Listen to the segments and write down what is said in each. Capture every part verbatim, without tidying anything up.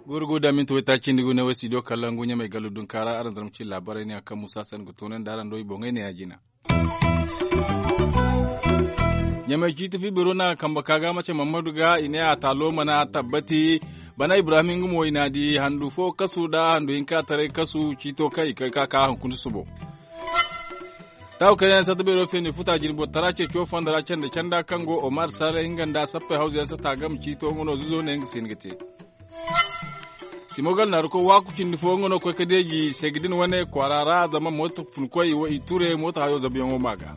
Gurgu da minti waytaaci nda gu ne wo studio kalangu ɲamey gallu dunkaara araŋ zarma ci laabaarey ne yaŋ kaŋ musa se ni ga toonandi araŋ do i boŋey ne ya- jina. Ɲamey ciiti fiibiro na kambe ka ga mace mammadu ga i ne a taalo mana tabbati. Bana ibrahim nga mo i na a di handu fo kasu nda handu hinka taray kasu ciito kaŋ i kay ka ka hunkuna subo. Taawu kayna yaŋ sata beero feeni futa jirbo tara ceeco fonda ra canda canda kaŋ go omar sale nga nda sappey hawza yaŋ sata game ciito nga no zuzo ne nga se ni ga te. Simogal naaru koy waaku cindi fo nga no koy ka deeji seegi din wane kwaara ra zama mooto funkoy i ture mooto hayo zabuyaŋo ma ga.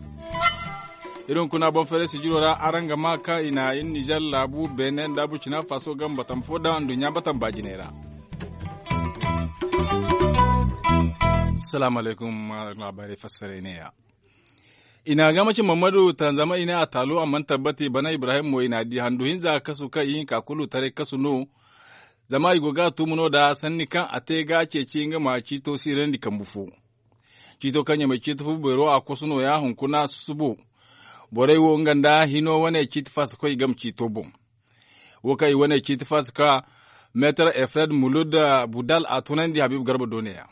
Iri hunkuna boŋ fere sijiro ra araŋ ga ma kaŋ i na iri nizer laabu beene nda burcina faso game batama fo daŋ nduɲɲa batama baajiney ra. Salaamu alaykum. Laabaarey fassaray ne- ya i na a ga mace mammadu tanzama i ne a taalo a mana tabbati bana ibrahim mo i na a di handu hinza kasu kaŋ i hinka kulu taray kasu no. Zama i go ga a tumu no da sanni kaŋ a te ga a ceeci nga ma ciito siirandi kambu fo. Ciito kaŋ ɲamey ciiti fo beero a kosu nooya hunkuna susubo. Borey wo nga nda hino wane ciiti faasa koy game ciito boŋ. Wo kaŋ i wane ciiti faasa ka meetar efred mulud budal a tunandi habiibu garba do ne- ya.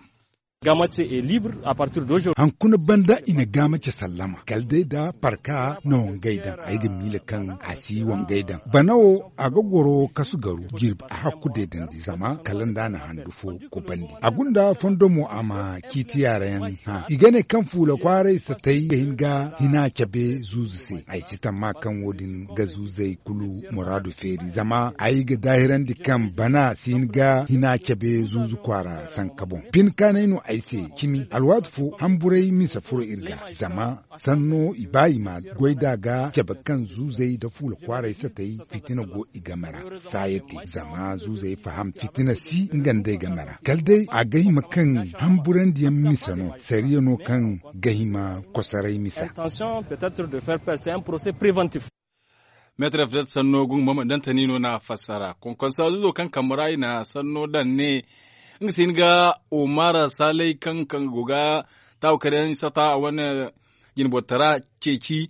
Hankuna banda i na gaamace sallama kala day da parka na wangay daŋ ay ga miila kaŋ a si wangay daŋ bana wo a ga goro kasu garu jirbi a hakku deedandi zama kala nda a na handu fo kubandi a gunda fondo mo a ma ciiti yaara yaŋ hã i ga ne kaŋ fuula kwaaray satay ga hin ga hina cabe zuuzu se ay si tamma kaŋ wo- din ga zuuzey kulu muraadu feeri zama ay ga daahirandi kaŋ bana si hin ga hina cabe zuuzu kwaara sanka boŋ. Bine kaanay no ay se cimi alwaati fo hamburay misa furo iri ga zama sanno i ba i ma goy da ga cabe kaŋ zuuzey nda fuula kwaaray satay fitina go i game ra. Saaya te zama zuuzey faham fitina si nga nd'ey game ra kala day a ga hima kaŋ hamburandiyaŋ misa no sariya no kaŋ ga hima kosoray misa. Meetar efred sanno gungu mama dantani no na fassara konkonsa zuzo kaŋ kambe ra i na sanno daŋ ne nga si hin ga omar salay kaŋ kaŋ go ga taawu kare yaŋ sata a wane jinbotara ceeci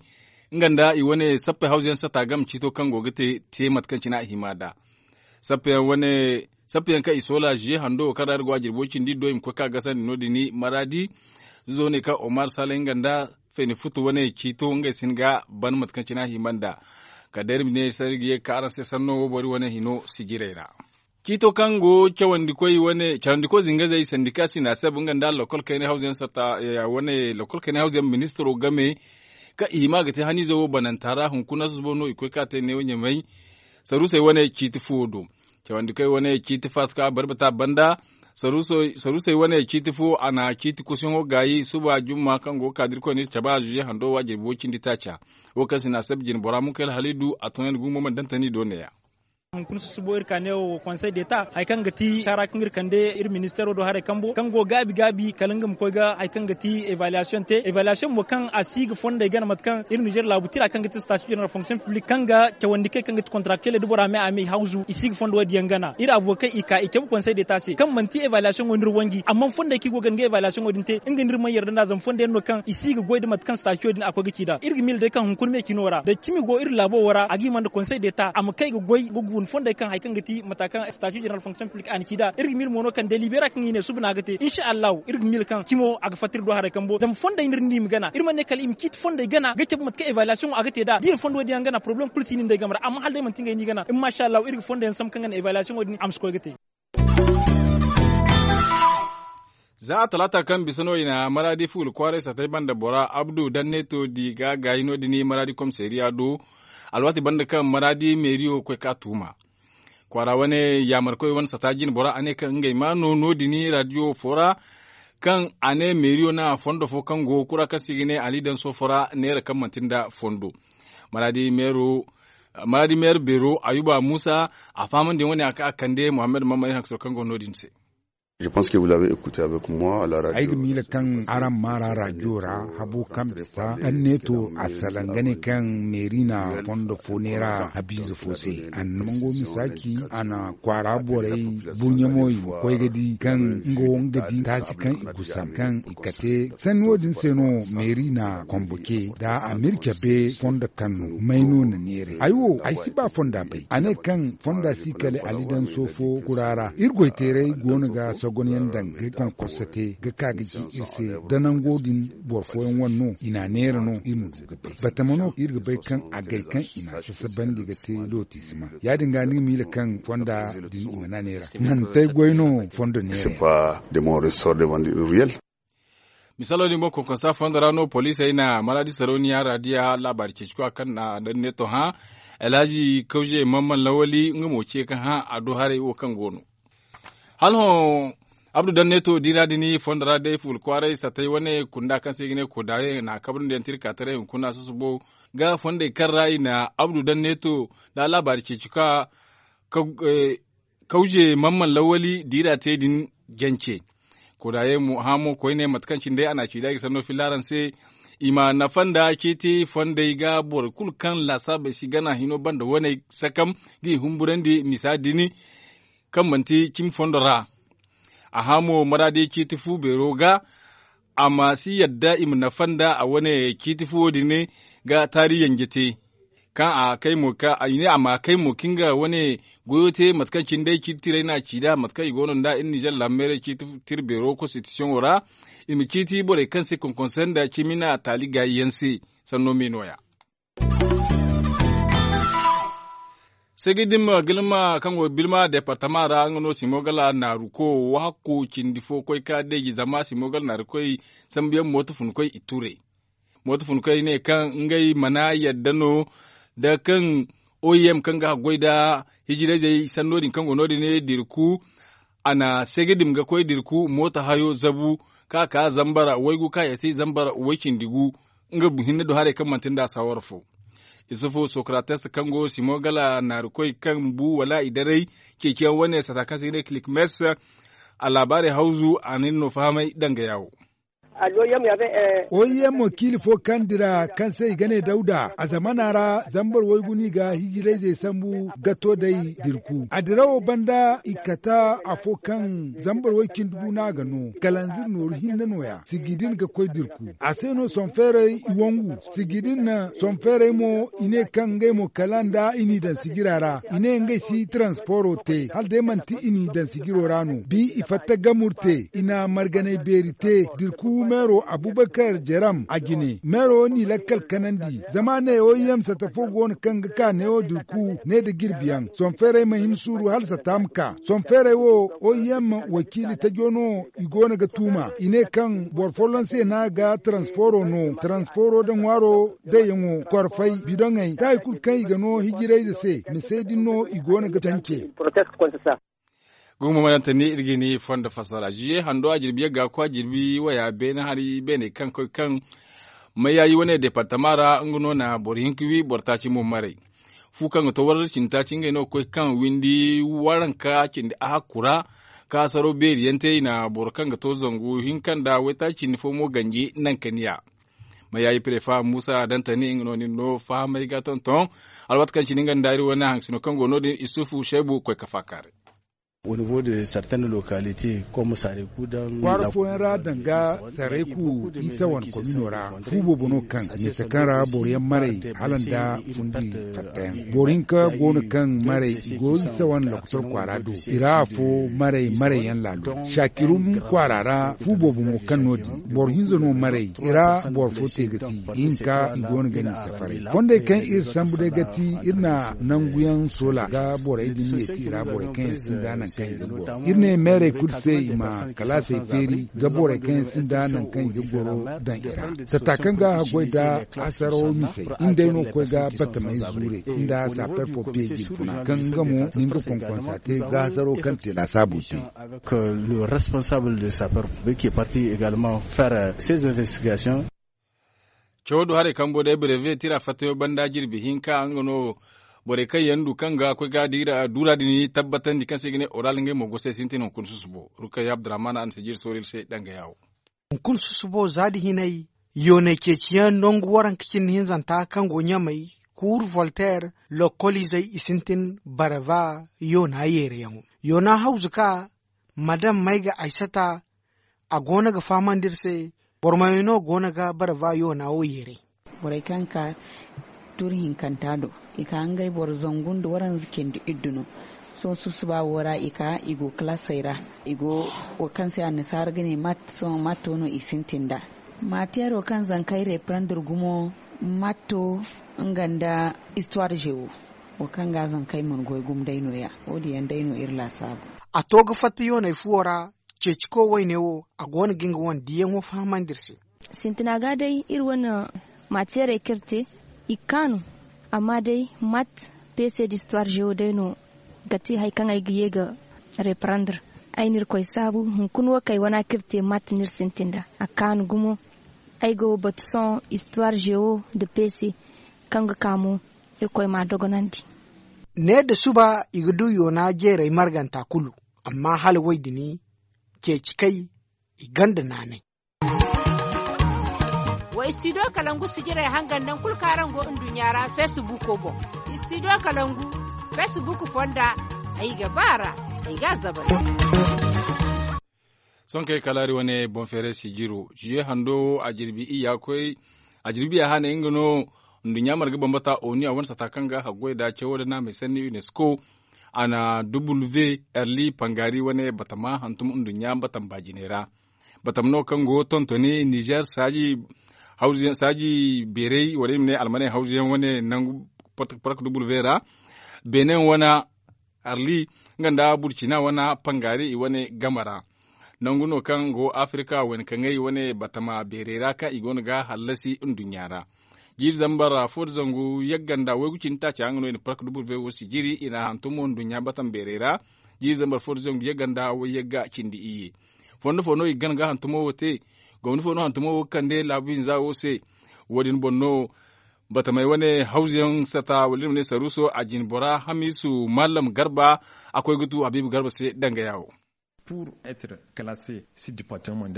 nga nda i wane sappey hawza yaŋ sata game ciito kaŋ go ga te te mate kaŋ cine a hima nd'a. Sappeyaŋ kaŋ i soola ziye hando wo kaŋ ra iri go a jirbo cindi do i ma koy ka gasandi no- din maradi. Zuzo ne kaŋ omar salay nga nda fayni futu wane ciito ngey si hin ga ban mate kaŋ cine a hima nd'a. Kala day iri ma ne sanda iri ga ye ga ka araŋ se sanno wo boro wane hino sijirey ra. Ciito kaŋ go cawandikoy zinga zey sandika sina seb nga nda lokol kaynay hawza yaŋ ministiro game kaŋ i hima ga te haniize wo bananta ra hunkuna susubo no i koy ka te neewo ɲamey. Saruusey wane ciiti fuwo do. Cawandikoy wane ciiti faska barbata banda. Saruusey wane ciiti fo a na ciiti kusuyaŋo gaayi suba jumma kaŋ go ga ka da irkoy no iri cabe a zuuze hando wa jirbi wo cindi taaca. Wo kaŋ se no a sabu jine bora munkayla halidu a tunandi gumo mana dantani do neeya. Hunkuna susubo iri ka ne wo konsey deta hari kaŋ ga ti kara kaŋ iri kande iri ministeero do haray kambo kaŋ go gaabi gaabi kala nga ma koy ga hari kaŋ ga ti evaluation te evaluation mo kaŋ a si ga fondey gana mate kaŋ iri nizer laabu tira kaŋ ga ti stati jeneral fonction publik kaŋ ga cawandi kay kaŋ ga ti kontraktel da bora me a me i hawzu i si ga fondo wo- din yaŋ gana iri avokey i ka i cabe konsey deta se kaŋ manti evaluation wo no iri wanji amma fondey kaŋ i go ga nga evaluation wo- din te nga no iri mana yarda nd'a zama fondo yaŋ no kaŋ i si ga goy da mate kaŋ stati wo- din a koy ga ci nd'a iri ga miila day kaŋ hunkuna me cino ra da cimi go iri laabo wo ra a ga hima nda konsey deta a ma kay ga goy ga guna fondey kaŋ hari kaŋ ga ti mata kaŋ stati jeneral fonction publik a na ci nd'a iri ga miila mo no kaŋ delibera kaŋ i ne suba no a ga te insa allahu iri ga miila kaŋ cimo a ga fatta iri do haray kambo zama fondey no iri ne i ma gana iri mana ne kala i ma ciiti fondey gana ga cabe mate kaŋ evaluation wo a ga te nd'a da i na fondo wo- din yaŋ gana poroblem kulu si no nd'ey game ra amma hala day manti ngey no i gana amma insa allahu iri ga fondo yaŋ sambu kaŋ ga naŋ evaluation wo- din a ma si koy ga te. Za a talaata kaŋ bisa no i na maradi fuula kwaaray satay banda bora abdu danneto di ga gaayi no- din maradi komisariya do. Alwaati banda kaŋ maradi meeriyo koy ka tuuma kwaara wane yaamarkoy wane sata jine bora a ne kaŋ ngey ma no no- din radiyo fo ra kaŋ a ne meeriyo na fondo fo kaŋ go kura kaŋ se i ga ne ali daŋ soofo ra neera kaŋ manti nda fondo. Maradi meero beero ayuba muusa a fahamandiyaŋ wane a ka a kande muhammad mammay haŋ ka soro kaŋ go no- din se. Ay ga miila kaŋ araŋ maara rajo ra habo kaŋ bisa anneeto a salaŋ ga ne kaŋ meeri na fondo fo neera habiize fo se. A na mango misaaci a na kwaara borey burɲamo i ma koy ga di kaŋ nga wo nga di taasi kaŋ i gusam kaŋ i kate sanni wo- din se no meeri na komboke da a ma iri cabe fondo kaŋ no may no na neera ay wo ay si ba fonda bay a ne kaŋ fonda si kale alidanso fo kura ra iri goyteeray go no ga sogonyaŋ daŋ ga konkorso te ga ka ga ci iri se da nango din boro fooyaŋ wane no i n'a neera no iri ma du ga bay batama no iri ga bay kaŋ agay kaŋ i n'a sasabandi ga te looti si ma ya- din ga ni ga miila kaŋ fonda din i mana neera mantey goy no fondo neera. Misaalo din boŋ konkonsa fondo ra no poliisey na maraadi sarauniya raadiya laabaari ceeci kwa kaŋ na danneto hã alhaji kawze mamman lawali nga mo ce ka hã a du haray wo kaŋ go no hala hõ abdu danneto diira din fondo ra day fuula kwaaray satay wane kunda kaŋ se i ga ne kodaye na kabrandi yaŋ tirka taray hunkuna susubo ga fondey kaŋ ra i na abdu danneto da laabaari ceeci kwa kawze mamman lawali diira te din jance kodaye mo hã mo koyne mate kaŋ cine day a na a ci day ga sanno filla araŋ se i ma nafa nda ceeti fondey ga boro kulu kaŋ laasaabey si gana hino banda waney sakam ga i humburandi misa din kaŋ manti cimi fondo ra a hã mo maraadi ceeti fu beero ga a ma si yadda i ma nafa nda a wane ciiti fuwo din ga taari yanje te kaŋ a kay mo ka i ne a ma kay mo ka nga wane goyo te mate kaŋ cine day ciiti tiray no a ci nd'a mate kaŋ i go no nd'a iri nizer laammeeray ciiti tira beero konsitisiyoŋo ra i ma ciiti borey kaŋ se konkonse nda cimi na taali gaayi yaŋ se sanno me no- ya. Segidim gilma kaŋ go bilma departama ra nga no simo gala naaru ko wahakku cindi fo koy ka deeji zama simo gala naaru koy sambu yaŋ mooto fun koy i ture mooto fun koy ne kaŋ ngey mana yadda no da kaŋ oim kaŋ ga haggoy da hijirayzey sanno din kaŋ go no- din ne dirku a na segidim ga koy dirku mooto hayo zabu ka ka zambar waygu ka ya te zambar way cindi gu nga hinne do haray kaŋ manti nda sawar fo isufu socrates kaŋ go simo gala naarikoy kaŋ bu wala i daray ceeciyaŋ wane sata kaŋ se ga ne kilikmes a laabaarey hawzu a na iri no fahamay danga yaawo. Oim wakiili fo kaŋ dira kaŋ se i ga ne dawda a zamana ra zambar waygu no i ga hijirayzey sambu ga to day dirku a dirawo banda i kata afo kaŋ zambar way cindi gu no a ga no kalanzir nooru hinne no- ya sigi din ga koy dirku a se no sonfeerey i wangu sigi din sonfeerey mo i ne kaŋ ngey mo kala nda i n'i daŋ sijira ra i ne ngey si transporo te hala day manti i n'i daŋ sijiro ra no bi i fatta gamur te i na marganay beeri te dirku meero abubakar jaram a jine meero n'i lakkal kanandi zama ne oim sata fo go no kaŋ ga ka neewo dirku ne nda jirbiyaŋ sonfeerey ma hin suuru hala sata ma ka sonfeerey wo oim wakiili tajo no i go no ga tuuma i ne kaŋ boro folloŋ se no a ga transporo no transporo nda ŋwaaro dayyaŋo korfay bidoŋey da hari kulu kaŋ i ga no hijirayze se mise din no i go no ga cance. Gumo manantani iri ga ni fondo fassara ziye hando a jirbi yagga kwa jirbi waya beene hari beene kaŋ koy kaŋ mayayi wane departama ra nga no na boro hinka wi boro taaci mo maray fu kaŋ ga to warra cindi taaci ngey no ga koy kaŋ windi waranka cindi a hakku ra kaasaro beeri yaŋ te i na boro kaŋ ga to zangu hinka nda waytaaci cindi fo mo ganji nankaniya. Mayayi prefa musa dantani nga no nin no fahamay ga tonton alwaati kaŋ cindi nga nda iri wane haŋsino kaŋ go no- din isufu shaybu koy ka faakaaray. Kwaara fooyaŋ ra danga sarayku isa wane komino ra fu boobo no kaŋ mise kaŋ ra boro yaŋ maray hala nda fundi fattayaŋ boro hinka go no kaŋ maray i go isa wane lokotor kwaara do i ra afo maray maray yaŋ laalo shakirum kwaara ra fu boobo mo kaŋ no- din boro hinza no maray i ra boro fo te ga ti i hinka i go no ga ni safaray fondey kaŋ iri sambu day ga ti iri na nanguyaŋ soola ga borey din yeeti i ra borey kaŋ yaŋ sinda nangu kaŋ i ga goro iri ne meerey kulu se i ma kalaasey feeri ga borey kaŋ yaŋ sinda nangu kaŋ i ga goro daŋ i ra sata kaŋ ga haggoy nda asarawo misey iri day no ga koy ga batamey zuure nda saper pompiye jirfuna kaŋ nga mo na nga konkonsa te ga hasaro kaŋ te laasaabo te. Avec le responsable de saper pompiye qui est parti également faire ses investigations. Cawo do haray kambo day breve tira fattayo banda jirbi hinka nga no Borey kaŋ yaŋ du kaŋ ga koy ga duura din tabbatandi kaŋ se i ga ne oral ngey mo go se sintin hunkuna susubo. Rukayya abdurahman a na si jiiri soori iri se danga yaawo. Hunkuna susubo za da hinay yoonay ceeciyaŋ nangu waranka cindi hinzanta kaŋ go ɲamay, kuuru volter, lokkoliizey i sintin barava yoona yeerayaŋo. Yoona hawzu ka madam may ga aysata a go no ga fahamandi iri se. Boro mayo no go no ga barava yoona wo yeeray. Borey kaŋ ka tuuri hinkanta do, i ka ngey boro zangu nda waranza cindi iddu no. Sohõ susuba wo ra i ka i go kalaasey ra. I go wo kaŋ se annasaara ga ne mat sohõ mat wo no i sintin nd'a. Maatiyeero kaŋ zankey reprendre gumo matto nga nda histoire géo wo kaŋ ga zankey mana goy gumo day no- ya. Wo- din yaŋ day no iri laasaabu. A to ga fatta yooney fuwo ra. Ceeciko wayne wo a go no ga nga wane diyaŋo fahamandi iri se. Sintina ga day iri wane maatiyarey kaŋ iri te i ga kaanu. Amma day mat pc d'histoire géo day no ga ti hari kaŋ ay ga ye ga reprendre. Ay na irkoy saabu hunkuna wo kaŋ ay wana kaŋ iri te mat no iri sintin nd'a a kaanu gumo. Ay go batu sohõ histoire géo nda pc kaŋ ga ka mo. Irkoy m'a dogonandi. Ne nda suba i ga du yoona jeeray marganta kulu. Amma hala wo- din ceeci kay i gonda naanay. Wa istidiyo kalangu sijirey hangan naŋ kulu kaŋ araŋ go nduɲɲa ra feesibuuko boŋ. Istidiyo kalangu feesibuuko fonda ay ga ba a ra. Ay ga a zabal. Sohõ kaŋ ay kalaari wane boŋ feeray sijiro ziye hando wo a jirbi iyya koy. A jirbi iyya hane nga no nduɲɲa marga bambata onu a wane sata kaŋ ga haggoy nda cawo nda naamey sanni unesco. A na duble v erli pangaari wane batama hantum nduɲɲa batama baajiney ra. Batama no kaŋ go tontoni nizer saaji beeray wala i ma ne almaney hawzu yaŋ wane nangu park duble v ra. Benin wane arli nga nda burcina wane pangaari i wane game ra. Nangu no kaŋ go afirka wayna kaŋay wane batama beeray ra kaŋ i go no ga hallasi nduɲɲa ra. Jiiri zambar fo nda zangu yagga nda waygu cindi taaca nga no i na park duble v wo sijiri i na hantumo nduɲɲa batama beeray ra. Jiiri zambar fo nda zangu yagga nda wayyagga cindi iyye. Fondo fo no i ga gana ga hantumo wo te? Gomni fo no hantumo wo ga kande laabu hinza wo se? Wo- din boŋ no batamey wane hawzu yaŋ sata wala iri ma ne saruuso a jine bora hamiisu mallam garba. A koy ga tu habiibu garba se danga yaawo.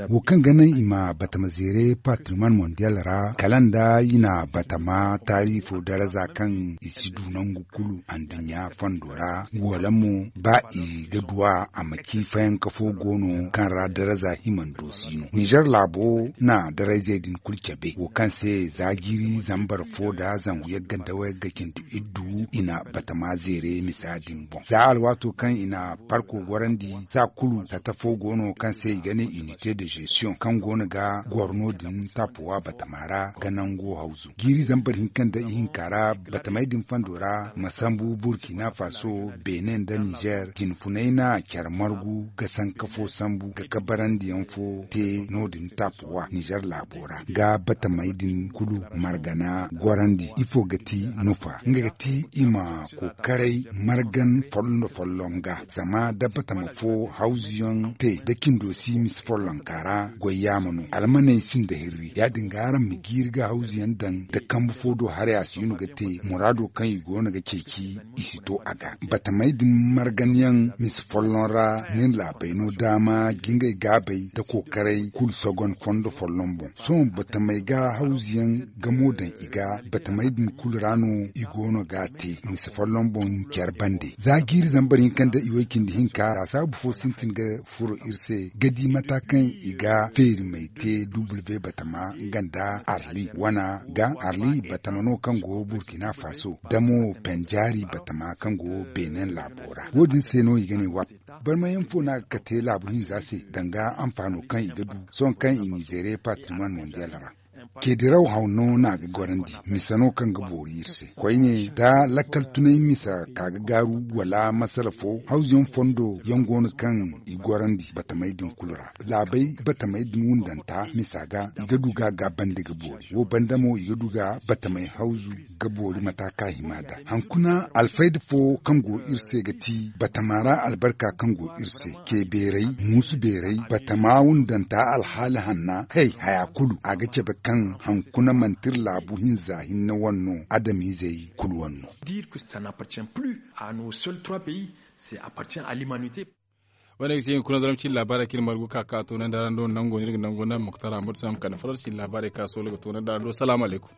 Wo kaŋ ga naŋ i ma batama zeere patrimoine mondial ra kala nda i na batama taari fo daraza kaŋ i si du nangu kulu anduɲɲa fondo ra. Wala mo ba i ga du a a ma ci fayanka fo go no kaŋ ra daraza himando si no nizer laabo na darayzey din kulu cabe wo kaŋ se za jiiri zambar fo nda zangu yagga nda wayagga cindi iddu i na batama zeere misa din boŋ za alwaato kaŋ i na parko gorandi. Za kulu sata fo go no kaŋ se i ga ne unité de gestion kaŋ go no ga goro no- din tapuwa batama ra ga nango hawzu jiiri zambar hinka nda ihinka ra batamey din fondo ra ma sambu burkina faso, benin nda nizer jinfunay na care margu ga sanka fo sambu ga kabarandiyaŋ fo te no- din tapuwa nizer laabo ra ga batamey din kulu margana gorandi ifo ga ti nufa nga ga ti i ma kokaray margan folloŋ-folloŋ ga zama da batama fo hawzuyaŋ te da cindo si misa follonka ra goy yaama no almaney sinda hirri ya-din ga araŋ ma jiiri ga hawzuyaŋ daŋ da kambe fo do haray a si no ga te muraado kaŋ i go no ga ceeci i si to a ga batamey din marganyaŋ misa folloŋ ra nin laabey no daama ga ngey gaabey da kokaray kulu sogon fondo folloŋ boŋ sohõ batamey ga hawzuyaŋ gamo daŋ i ga batamey din kulu ra no i go no ga a te misa folloŋ boŋ care bande za jiiri zambar hinka nda iway cindi hinka laasaabu fo sintin ga furo iri se ga di mata kaŋ i ga feerimey te duble batama nga nda arli wana ga arli batama no kaŋ go burkina faso da mo penjaari batama kaŋ go benin laabo ra wo- din se no i ga ne wa barmayaŋ fo no a ga kate laabu hinza se danga anfaano kaŋ i ga du sohõ kaŋ i n'i zeere patrimoine mondial ra. Ceediraw haw no no a ga gorandi misa no kaŋ ga boori iri se koyne da lakkal tunay misa ka ga gaaru wala masala fo hawzuyaŋ fondo yaŋ go no kaŋ i gorandi batamey din kulu ra laabey batamey din wundanta misa ga i ga du ga a gaabandi ga boori wo banda mo i ga du ga batamey hawzu ga boori mata kaŋ a hima nd'a hankuna alfayda fo kaŋ go iri se ga ti batama ra albarka kaŋ go iri se ce beeray muusu beeray batama wundanta alhaali hanna hay haya kulu a ga cabe kaŋ Haŋ hankuna manti iri laabu hinza hinne wane no, adamizey kulu wane no. Dire que ça n'appartient plus à nos seuls trois pays, c'est appartient à l'humanité. Wane ga ti hinkuna daram cin laabaarey kaŋ iri margu ka ka toonandi araŋ do nango no iri ga nango naŋ muktar ahmad sam kande farar cin laabaarey ka soolo ga toonandi araŋ do salaamu alaykum.